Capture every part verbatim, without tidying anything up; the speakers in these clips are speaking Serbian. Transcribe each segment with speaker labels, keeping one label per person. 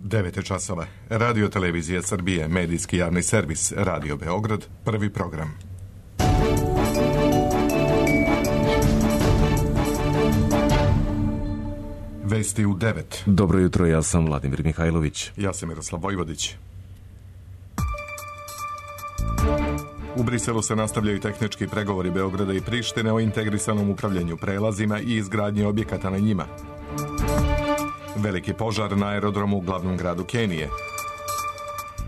Speaker 1: devet je časova. Radio Televizija Srbije, medijski javni servis, Radio Beograd, prvi program. Vesti u devet.
Speaker 2: Dobro jutro, ja sam Vladimir Mihajlović.
Speaker 1: Ja sam Miroslav Vojvodić. U Briselu se nastavljaju tehnički pregovori Beograda i Prištine o integrisanom upravljanju prelazima i izgradnji objekata na njima. Veliki požar na aerodromu u glavnom gradu Kenije.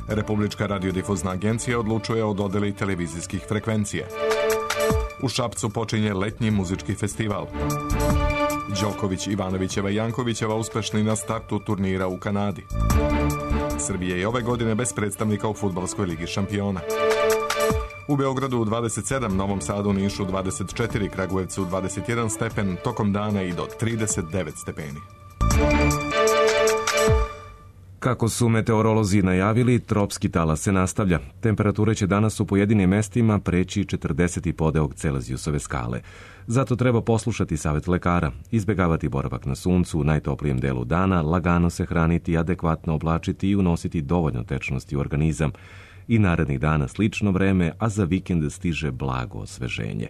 Speaker 1: Republička radiodifuzna agencija odlučuje o dodeli televizijskih frekvencija. U Šapcu počinje letnji muzički festival. Đoković, Ivanovićeva i Jankovićeva uspešni na startu turnira u Kanadi. Srbija je ove godine bez predstavnika u fudbalskoj ligi šampiona. U Beogradu u dvadeset sedam, Novom Sadu, Nišu dvadeset četiri, Kragujevcu dvadeset jedan stepen, tokom dana i do trideset devet stepeni.
Speaker 2: Kako su meteorolozi najavili, tropski talas se nastavlja. Temperature će danas u pojedinim mestima preći četrdeset i podeok Celzijusove skale. Zato treba poslušati savjet lekara, izbjegavati boravak na suncu u najtoplijem delu dana, lagano se hraniti, adekvatno oblačiti i unositi dovoljno tečnosti u organizam. I narednih dana slično vreme, a za vikend stiže blago osveženje.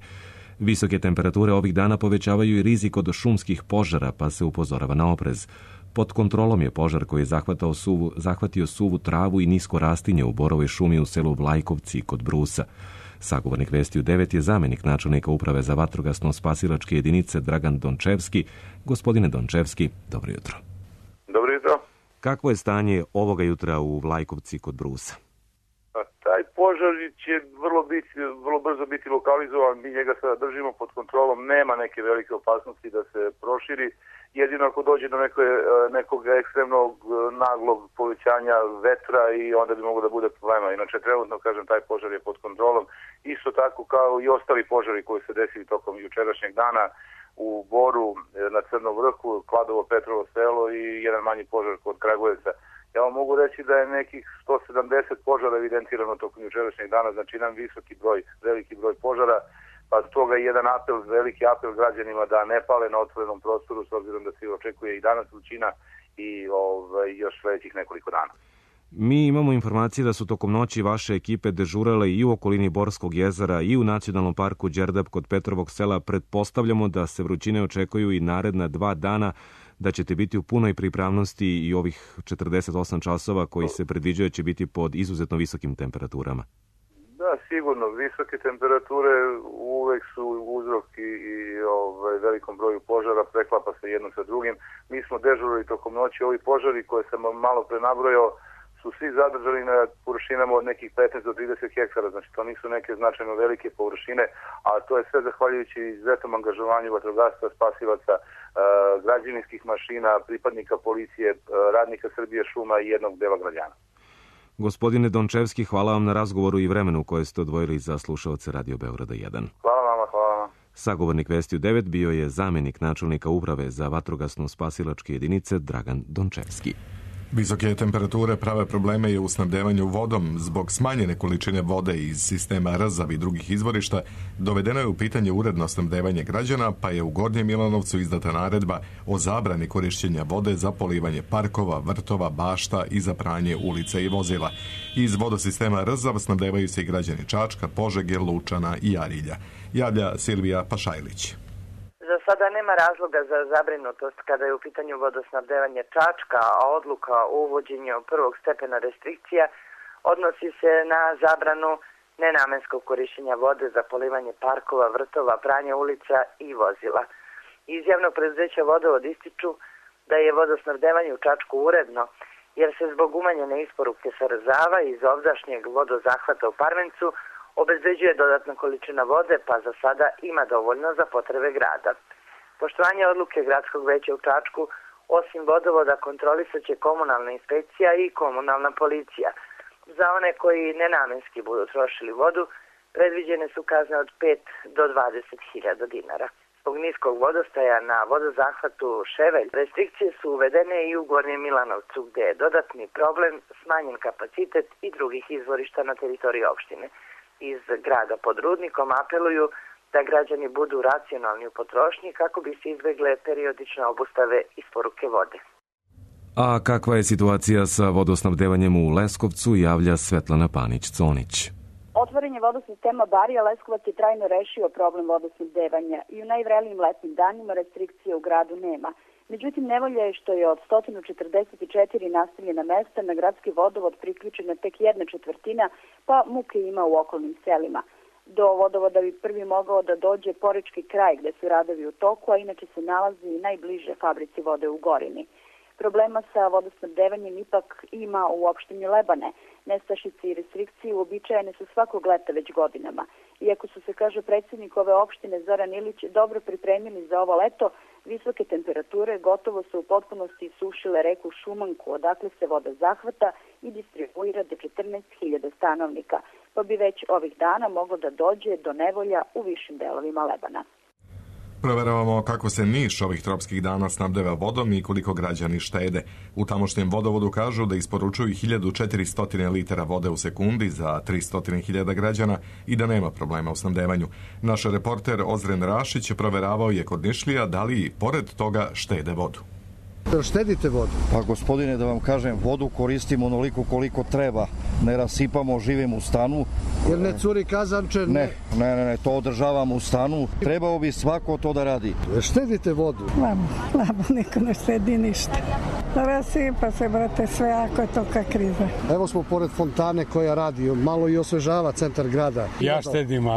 Speaker 2: Visoke temperature ovih dana povećavaju i rizik od šumskih požara, pa se upozorava na oprez. Pod kontrolom je požar koji je zahvatao suvu, zahvatio suvu travu i nisko rastinje u borovoj šumi u selu Vlajkovci kod Brusa. Sagovornik Vesti u devet je zamjenik načelnika uprave za vatrogasno-spasilačke jedinice Dragan Dončevski. Gospodine Dončevski, dobro jutro.
Speaker 3: Dobro jutro.
Speaker 2: Kakvo je stanje ovoga jutra u Vlajkovci kod Brusa?
Speaker 3: Taj požar će vrlo, biti, vrlo brzo biti lokalizovan, mi njega sada držimo pod kontrolom, nema neke velike opasnosti da se proširi, jedino ako dođe do neke, nekog ekstremnog naglog povećanja vetra i onda bi moglo da bude problema. Inače, trenutno, kažem, taj požar je pod kontrolom, isto tako kao i ostali požari koji se desili tokom jučerašnjeg dana u Boru, na Crnom vrhu, Kladovo, Petrovo selo i jedan manji požar kod Kragujevca. Ja vam mogu reći da je nekih sto sedamdeset požara evidentirano tokom jučerašnjeg dana, znači jedan visoki broj, veliki broj požara, pa toga je jedan apel, veliki apel građanima da ne pale na otvorenom prostoru, s obzirom da se očekuje i danas vrućina i ovaj, još sledećih nekoliko dana.
Speaker 2: Mi imamo informacije da su tokom noći vaše ekipe dežurale i u okolini Borskog jezera i u Nacionalnom parku Đerdap kod Petrovog sela. Pretpostavljamo da se vrućine očekuju i naredna dva dana, da ćete biti u punoj pripravnosti i ovih četrdeset osam časova koji se predviđaju će biti pod izuzetno visokim temperaturama.
Speaker 3: Da, sigurno. Visoke temperature uvek su uzrok i, i ovaj, velikom broju požara, preklapa se jedno sa drugim. Mi smo dežurali tokom noći. Ovi požari koje sam malo pre nabrojao su svi zadržani na površinama od nekih petnaest do trideset hektara, znači to nisu neke značajno velike površine, a to je sve zahvaljujući izuzetnom angažovanju vatrogastva, spasilaca, građevinskih mašina, pripadnika policije, radnika Srbije šuma i jednog dela građana.
Speaker 2: Gospodine Dončevski, hvala vam na razgovoru i vremenu koje ste odvojili za slušaoce Radio Beograda jedan.
Speaker 3: Hvala vama, hvala vam.
Speaker 2: Sagovornik Vesti u devet bio je zamjenik načelnika uprave za vatrogasno-spasilačke jedinice Dragan Dončevski.
Speaker 1: Visoke temperature prave probleme i u snabdevanju vodom. Zbog smanjene količine vode iz sistema R Z A V i drugih izvorišta dovedeno je u pitanje uredno snabdevanje građana, pa je u Gornjem Milanovcu izdata naredba o zabrani korišćenja vode za polivanje parkova, vrtova, bašta i za pranje ulica i vozila. Iz vodosistema R Z A V snabdevaju se i građani Čačka, Požege, Lučana i Arilja. Javlja Silvija Pašajlić.
Speaker 4: Za sada nema razloga za zabrinutost kada je u pitanju vodosnabdevanje Čačka, a odluka o uvođenju prvog stepena restrikcija odnosi se na zabranu nenamenskog korišćenja vode za polivanje parkova, vrtova, pranje ulica i vozila. Iz javnog preduzeća Vodovod ističu da je vodosnabdevanje u Čačku uredno, jer se zbog umanjene isporuke sa Rzava iz ovdašnjeg vodozahvata u Parmencu obezbeđuje dodatna količina vode, pa za sada ima dovoljno za potrebe grada. Poštovanje odluke Gradskog veća u Čačku, osim vodovoda, kontrolisat će komunalna inspekcija i komunalna policija. Za one koji nenamenski budu trošili vodu, predviđene su kazne od pet do dvadeset hiljada dinara. Zbog niskog vodostaja na vodozahvatu Ševelj, restrikcije su uvedene i u Gornjem Milanovcu, gde je dodatni problem smanjen kapacitet i drugih izvorišta na teritoriji opštine. Iz grada pod Rudnikom apeluju da građani budu racionalni u potrošnji kako bi se izbegle periodične obustave isporuke vode.
Speaker 2: A kakva je situacija sa vodosnabdevanjem u Leskovcu, javlja Svetlana Panić-Conić.
Speaker 5: Otvorenje vodosistema Barija Leskovac je trajno rešio problem vodosnabdevanja i u najvrelijim letnim danima restrikcije u gradu nema. Međutim, nevolja je što je od sto četrdeset četiri naseljena mesta na gradski vodovod priključena tek jedna četvrtina, pa muke ima u okolnim selima. Do vodovoda bi prvi mogao da dođe Porečki kraj gde su radovi u toku, a inače se nalazi i najbliže fabrici vode u Gorini. Problema sa vodosnabdevanjem ipak ima u opštini Lebane. Nestašice i restrikcije uobičajene su svakog leta već godinama. Iako su se, kaže predsjednik ove opštine Zoran Ilić, dobro pripremili za ovo leto, visoke temperature gotovo su u potpunosti sušile reku Šumanku, odakle se voda zahvata i distribuira do četrnaest hiljada stanovnika, pa bi već ovih dana moglo da dođe do nevolja u višim delovima Lebana.
Speaker 1: Proveravamo kako se Niš ovih tropskih dana snabdeva vodom i koliko građani štede. U tamošnjem vodovodu kažu da isporučuju hiljadu četiristo litara vode u sekundi za tristo hiljada građana i da nema problema u snabdevanju. Naš reporter Ozren Rašić proveravao je kod Nišlija da li pored toga štede vodu.
Speaker 6: Štedite vodu?
Speaker 7: Pa gospodine, da vam kažem, vodu koristimo onoliko koliko treba. Ne rasipamo, živimo u stanu.
Speaker 6: Jer ne curi kazanče?
Speaker 7: Ne, ne, ne, ne, to održavamo u stanu. Trebao bi svako to da radi.
Speaker 6: Štedite vodu?
Speaker 8: Slabo, slabo, niko ne štedi ništa. Rasipa se, brate, sve ako je to ka kriza.
Speaker 6: Evo smo pored fontane koja radi, malo i osvežava centar grada.
Speaker 9: Ja štedim,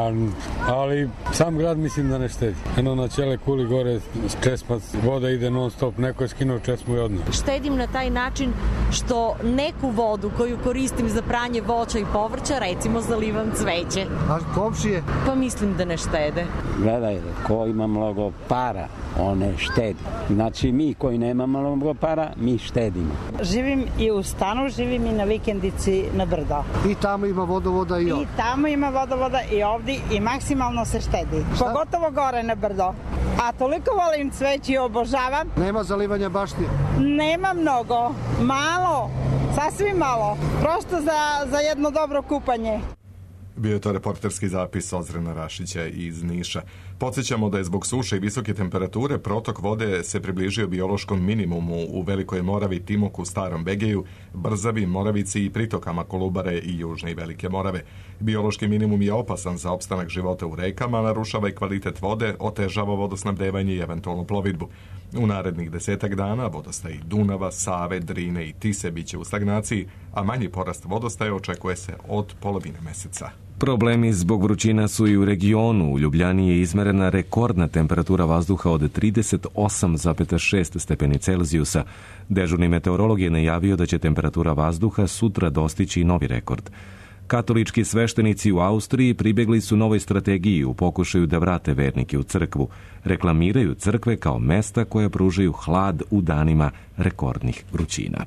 Speaker 9: ali sam grad mislim da ne štedi. Eno na Ćele kuli gore česmac, voda ide non stop, neko je skinuo česmu i odno.
Speaker 10: Štedim na taj način što neku vodu koju koristim za pranje voća i povrća, recimo zalivam cveće.
Speaker 6: A komšije?
Speaker 10: Pa mislim da ne štede.
Speaker 11: Gledaj, ko ima mnogo para, on ne štedi. Znači mi koji nemamo mnogo para, mi štedimo.
Speaker 8: Živim i u stanu, živim i na vikendici na brdo.
Speaker 6: I tamo ima vodovoda i ovdje?
Speaker 8: I tamo ima vodovoda i ovdje i maksimalno se štedi. Šta? Pogotovo gore na brdo. A toliko volim cveće i obožavam.
Speaker 6: Nema zalivanja baštine?
Speaker 8: Nema mnogo. Malo. Sasvim malo. Prosto za, za jedno dobro kupanje.
Speaker 1: Bio je to reporterski zapis Ozrena Rašića iz Niša. Podsjećamo da je zbog suše i visoke temperature protok vode se približio biološkom minimumu u Velikoj Moravi, Timoku, Starom Begeju, Brzavi, Moravici i pritokama Kolubare i Južne i Velike Morave. Biološki minimum je opasan za opstanak života u rekama, narušava i kvalitet vode, otežava vodosnabdevanje i eventualnu plovidbu. U narednih desetak dana vodostaji Dunava, Save, Drine i Tise biće u stagnaciji, a manji porast vodostaja očekuje se od polovine meseca.
Speaker 2: Problemi zbog vrućina su i u regionu. U Ljubljani je izmerena rekordna temperatura vazduha od trideset osam zarez šest stepeni Celzijusa. Dežurni meteorolog je najavio da će temperatura vazduha sutra dostići novi rekord. Katolički sveštenici u Austriji pribegli su novoj strategiji u pokušaju da vrate vernike u crkvu. Reklamiraju crkve kao mesta koja pružaju hlad u danima rekordnih vrućina.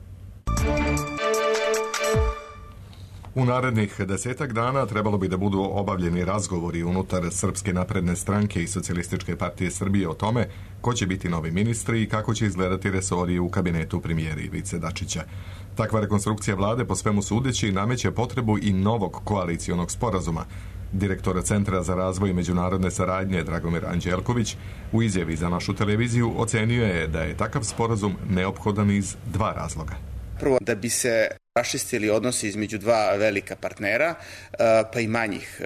Speaker 1: U narednih desetak dana trebalo bi da budu obavljeni razgovori unutar Srpske napredne stranke i Socijalističke partije Srbije o tome ko će biti novi ministri i kako će izgledati resori u kabinetu premijera Ivice Dačića. Takva rekonstrukcija vlade po svemu sudeći nameće potrebu i novog koalicijonog sporazuma. Direktor Centra za razvoj i međunarodne saradnje Dragomir Anđelković u izjavi za našu televiziju ocenio je da je takav sporazum neophodan iz dva razloga.
Speaker 12: Prvo, da bi se raščistili odnosi između dva velika partnera, pa i manjih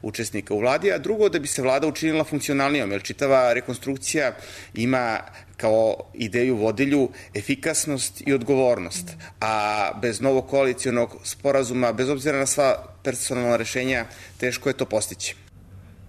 Speaker 12: učesnika u vladi, a drugo, da bi se vlada učinila funkcionalnijom, jer čitava rekonstrukcija ima kao ideju vodilju efikasnost i odgovornost, a bez novog koalicijonog sporazuma, bez obzira na sva personalna rešenja, teško je to postići.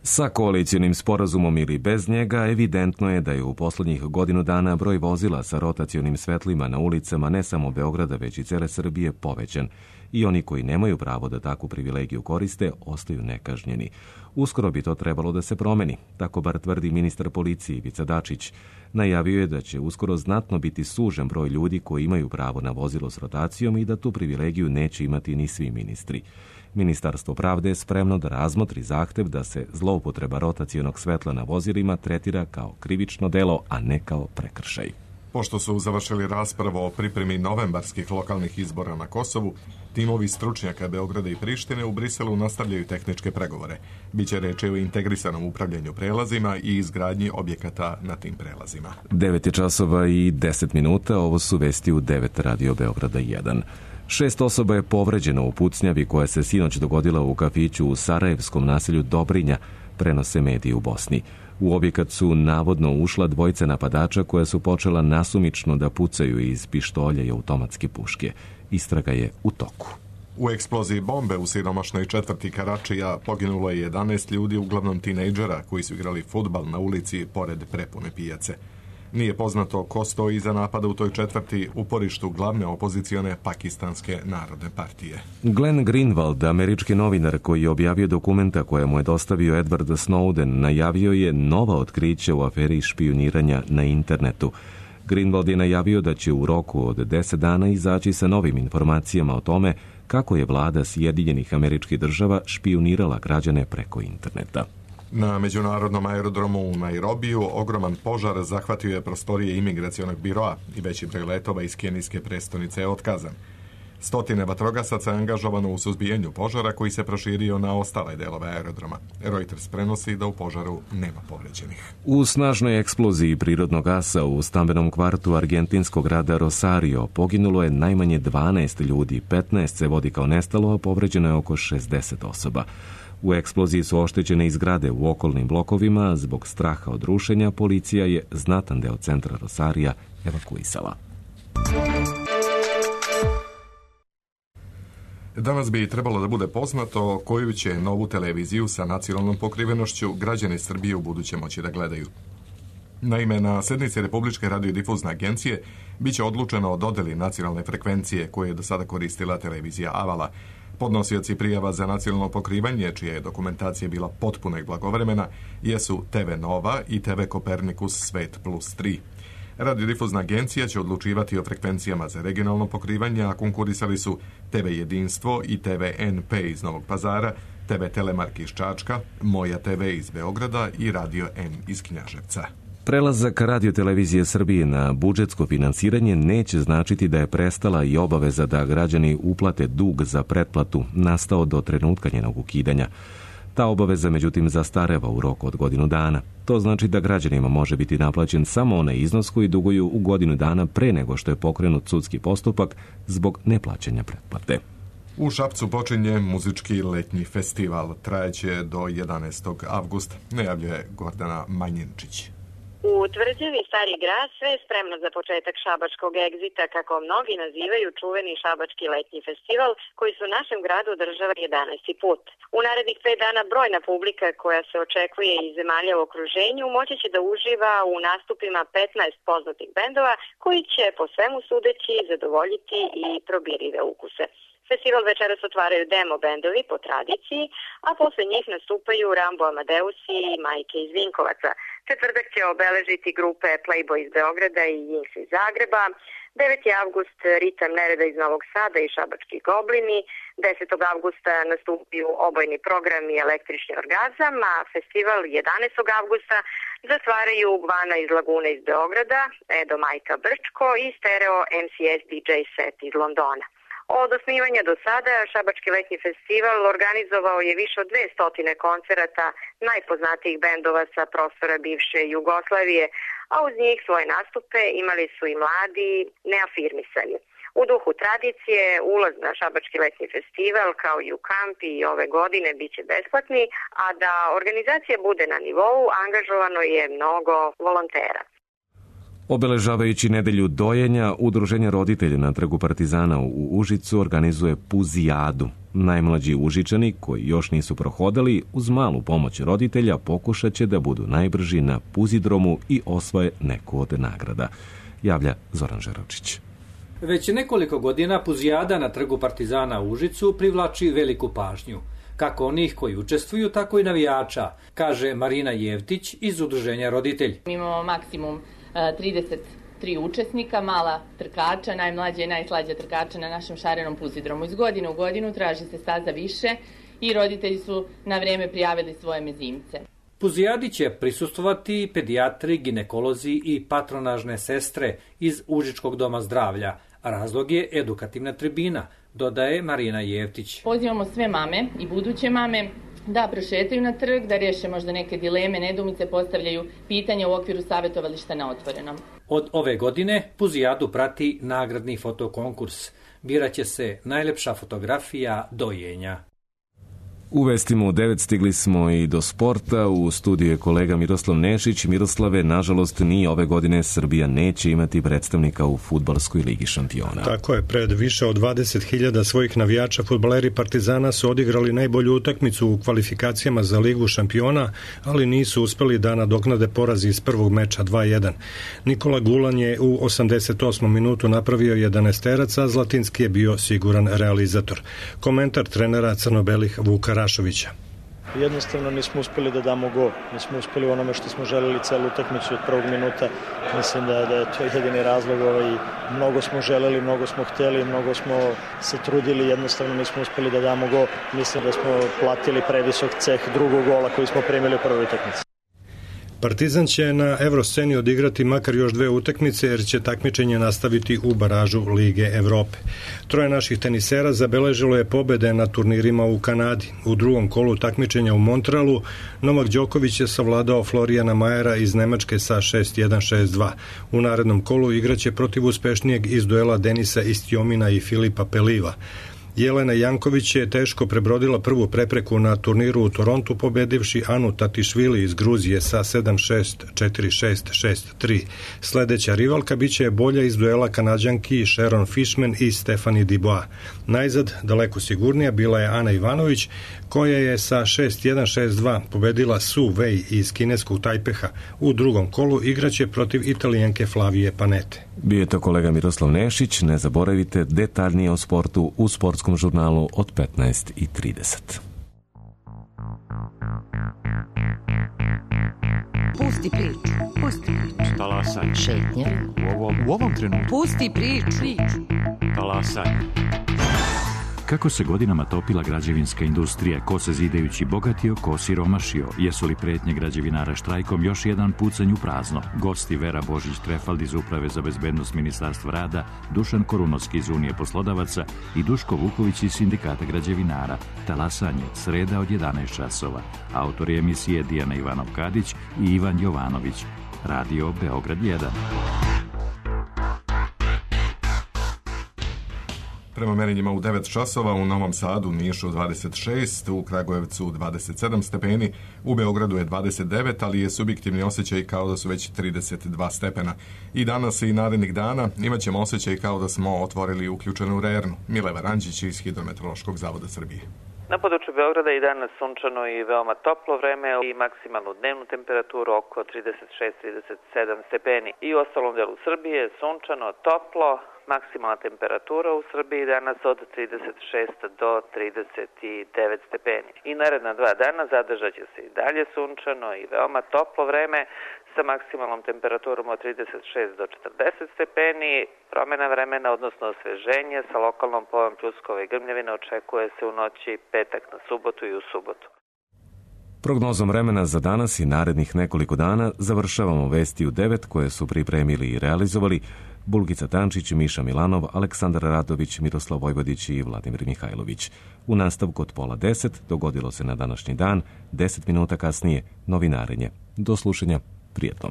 Speaker 2: Sa koalicijonim sporazumom ili bez njega, evidentno je da je u poslednjih godinu dana broj vozila sa rotacionim svetlima na ulicama ne samo Beograda, već i cele Srbije povećan. I oni koji nemaju pravo da takvu privilegiju koriste, ostaju nekažnjeni. Uskoro bi to trebalo da se promeni, tako bar tvrdi ministar policije Ivica Dačić. Najavio je da će uskoro znatno biti sužen broj ljudi koji imaju pravo na vozilo s rotacijom i da tu privilegiju neće imati ni svi ministri. Ministarstvo pravde je spremno da razmotri zahtev da se zloupotreba rotacionog svetla na vozilima tretira kao krivično delo, a ne kao prekršaj.
Speaker 1: Pošto su završili raspravu o pripremi novembarskih lokalnih izbora na Kosovu, timovi stručnjaka Beograda i Prištine u Briselu nastavljaju tehničke pregovore. Biće reči o integrisanom upravljanju prelazima i izgradnji objekata na tim prelazima.
Speaker 2: devet je časova i deset minuta, ovo su vesti u devet Radio Beograda jedan. Šest osoba je povređeno u pucnjavi koja se sinoć dogodila u kafiću u sarajevskom naselju Dobrinja, prenose mediji u Bosni. U objekat su navodno ušla dvojica napadača koja su počela nasumično da pucaju iz pištolja i automatske puške. Istraga je u toku.
Speaker 1: U eksploziji bombe u siromašnoj četvrti Karačija poginulo je jedanaest ljudi, uglavnom tinejdžera koji su igrali fudbal na ulici pored prepune pijace. Nije poznato ko stoji iza napada u toj četvrti, uporištu glavne opozicione Pakistanske narodne partije.
Speaker 2: Glenn Greenwald, američki novinar koji je objavio dokumenta koje mu je dostavio Edward Snowden, najavio je nova otkrića u aferi špijuniranja na internetu. Greenwald je najavio da će u roku od deset dana izaći sa novim informacijama o tome kako je vlada Sjedinjenih Američkih Država špijunirala građane preko interneta.
Speaker 1: Na međunarodnom aerodromu u Nairobiju ogroman požar zahvatio je prostorije imigracionog biroa i veći broj letova iz kenijske prestonice je otkazan. Stotine vatrogasaca je angažovano u suzbijanju požara koji se proširio na ostale delove aerodroma. Reuters prenosi da u požaru nema povređenih.
Speaker 2: U snažnoj eksploziji prirodnog gasa u stambenom kvartu argentinskog grada Rosario poginulo je najmanje dvanaest ljudi, petnaest se vodi kao nestalo, a povređeno je oko šezdeset osoba. U eksploziji su oštećene i zgrade u okolnim blokovima. Zbog straha od rušenja, policija je znatan deo centra Rosarija evakuisala.
Speaker 1: Danas bi trebalo da bude poznato koju će novu televiziju sa nacionalnom pokrivenošću građani Srbije u buduće moći da gledaju. Naime, na sednici Republičke radiodifuzne agencije biće odlučeno o dodeli nacionalne frekvencije koje je do sada koristila televizija Avala. Podnosioci prijava za nacionalno pokrivanje, čija je dokumentacija bila potpuna i blagovremena, jesu te ve Nova i te ve Kopernikus Svet plus tri. Radiodifuzna agencija će odlučivati o frekvencijama za regionalno pokrivanje, a konkurisali su te ve Jedinstvo i te ve en pe iz Novog Pazara, te ve Telemark iz Čačka, Moja te ve iz Beograda i Radio N iz Knjaževca.
Speaker 2: Prelazak Radio-televizije Srbije na budžetsko finansiranje neće značiti da je prestala i obaveza da građani uplate dug za pretplatu nastao do trenutka njenog ukidanja. Ta obaveza, međutim, zastareva u roku od godinu dana. To znači da građanima može biti naplaćen samo onaj iznos koji duguju u godinu dana pre nego što je pokrenut sudski postupak zbog neplaćanja pretplate.
Speaker 1: U Šapcu počinje muzički letnji festival. Trajeće do jedanaestog avgusta, najavljuje Gordana Manjinčić.
Speaker 13: U tvrđavi Stari grad sve je spremno za početak šabačkog egzita, kako mnogi nazivaju čuveni šabački letnji festival, koji se u našem gradu održava jedanaesti put. U narednih pet dana brojna publika koja se očekuje iz zemalja u okruženju moći će da uživa u nastupima petnaest poznatih bendova koji će po svemu sudeći zadovoljiti i probirive ukuse. Festival večeras otvaraju demo bendovi po tradiciji, a posle njih nastupaju Rambo Amadeusi i Majke iz Vinkovaca. Četvrtak će obeležiti grupe Playboy iz Beograda i Jinx iz Zagreba. deveti avgust Ritam nereda iz Novog Sada i Šabački goblini. desetog avgusta nastupaju obojni program i električni orgazam, a festival jedanaestog avgusta zatvaraju Gvana iz Lagune iz Beograda, Edo Majka Brčko i Stereo em si es di džej set iz Londona. Od osnivanja do sada Šabački letnji festival organizovao je više od dvesta koncerata najpoznatijih bendova sa prostora bivše Jugoslavije, a uz njih svoje nastupe imali su i mladi neafirmisani. U duhu tradicije, ulaz na Šabački letnji festival kao i u kamp i ove godine biće besplatni, a da organizacija bude na nivou, angažovano je mnogo volontera.
Speaker 2: Obeležavajući nedelju dojenja, Udruženje roditelja na Trgu Partizana u Užicu organizuje Puzijadu. Najmlađi Užičani, koji još nisu prohodali, uz malu pomoć roditelja pokušat će da budu najbrži na Puzidromu i osvoje neku od nagrada. Javlja Zoran Žerovčić.
Speaker 14: Već nekoliko godina Puzijada na Trgu Partizana u Užicu privlači veliku pažnju. Kako onih koji učestvuju, tako i navijača, kaže Marina Jevtić iz Udruženja roditelj.
Speaker 15: Mi imamo maksimum trideset tri učesnika, mala trkača, najmlađa i najslađa trkača na našem šarenom Puzidromu. Iz godine u godinu traži se staza više i roditelji su na vreme prijavili svoje mezimce.
Speaker 14: Puzijadi će prisustvovati pedijatri, ginekolozi i patronažne sestre iz Užičkog doma zdravlja. Razlog je edukativna tribina, dodaje Marina Jevtić.
Speaker 15: Pozivamo sve mame i buduće mame da prošetaju na trg, da riješe možda neke dileme, nedoumice, postavljaju pitanja u okviru savjetovališta na otvorenom.
Speaker 14: Od ove godine Puzijadu prati nagradni fotokonkurs. Biraće se najlepša fotografija dojenja.
Speaker 2: U vestima u devet stigli smo i do sporta. U studiju je kolega Miroslav Nešić. Miroslave, nažalost, ni ove godine Srbija neće imati predstavnika u fudbalskoj ligi šampiona.
Speaker 16: Tako je, pred više od dvadeset hiljada svojih navijača fudbaleri Partizana su odigrali najbolju utakmicu u kvalifikacijama za ligu šampiona, ali nisu uspeli da nadoknade poraz iz prvog meča dva jedan. Nikola Gulan je u osamdeset osmom minutu napravio jedanaesterac, a Zlatinski je bio siguran realizator. Komentar trenera crno-belih Vuka Rašovića.
Speaker 17: Jednostavno nismo uspeli da damo gol. Nismo uspeli u onome što smo želeli celu utakmicu od prvog minuta. Mislim da, da je to jedini razlog. Ovaj, mnogo smo želeli, mnogo smo hteli, mnogo smo se trudili, jednostavno nismo uspeli da damo gol. Mislim da smo platili previsok ceh drugog gola koji smo primili u prvoj utakmici.
Speaker 16: Partizan će na Evrosceni odigrati makar još dve utakmice jer će takmičenje nastaviti u baražu Lige Evrope. Troje naših tenisera zabeležilo je pobede na turnirima u Kanadi. U drugom kolu takmičenja u Montrealu Novak Đoković je savladao Florijana Majera iz Nemačke sa šest jedan šest dva. U narednom kolu igraće protiv uspešnijeg iz duela Denisa Istjomina i Filipa Peliva. Jelena Janković je teško prebrodila prvu prepreku na turniru u Torontu pobedivši Anu Tatišvili iz Gruzije sa sedam šest, četiri šest, šest tri. Sledeća rivalka biće bolja iz duela Kanađanki Sharon Fishman i Stephanie Dubois. Najzad, daleko sigurnija, bila je Ana Ivanović, koja je sa šest jedan šest dva pobedila Su Wei iz kineskog Tajpeha. U drugom kolu igraće protiv Italijanke Flavije Panete.
Speaker 2: Bio je to kolega Miroslav Nešić. Ne zaboravite detaljnije o sportu u sportskom žurnalu od petnaest i trideset.
Speaker 18: Pusti priču, pusti priču.
Speaker 19: Talasaj.
Speaker 18: Šetnja.
Speaker 19: U ovom, u ovom trenutku.
Speaker 18: Pusti priču.
Speaker 19: Talasaj. Kako se godinama topila građevinska industrija, ko se zidajući bogatio, ko siromašio, jesu li pretnje građevinara štrajkom još jedan pucanj u prazno? Gosti Vera Božić-Trefald iz Uprave za bezbednost Ministarstva rada, Dušan Korunovski iz Unije poslodavaca i Duško Vuković iz Sindikata građevinara. Talasanje, sreda od jedanaest časova. Autori emisije Dijana Ivanov-Kadić i Ivan Jovanović. Radio Beograd jedan.
Speaker 1: Prema merenjima u devet časova, u Novom Sadu, Nišu dvadeset šest, u Kragujevcu dvadeset sedam stepeni, u Beogradu je dvadeset devet, ali je subjektivni osjećaj kao da su već trideset dva stepena. I danas i narednih dana imat ćemo osjećaj kao da smo otvorili uključenu rernu. Mileva Ranđić iz Hidrometeorološkog zavoda Srbije.
Speaker 20: Na području Beograda i danas sunčano i veoma toplo vreme i maksimalnu dnevnu temperaturu oko trideset šest do trideset sedam stepeni. I u ostalom delu Srbije sunčano, toplo, maksimalna temperatura u Srbiji danas od trideset šest do trideset devet stepeni. I naredna dva dana zadržat će se i dalje sunčano i veoma toplo vreme sa maksimalnom temperaturom od trideset šest do četrdeset stepeni. Promjena vremena, odnosno osveženje sa lokalnom pojavom pljuskova i grmljavina očekuje se u noći petak na subotu i u subotu.
Speaker 2: Prognozom vremena za danas i narednih nekoliko dana završavamo vesti u devet koje su pripremili i realizovali Bulgica Tančić, Miša Milanov, Aleksandar Radović, Miroslav Vojvodić i Vladimir Mihajlović. U nastavku od pola deset dogodilo se na današnji dan, deset minuta kasnije novinarenje. Do slušanja, prijetno.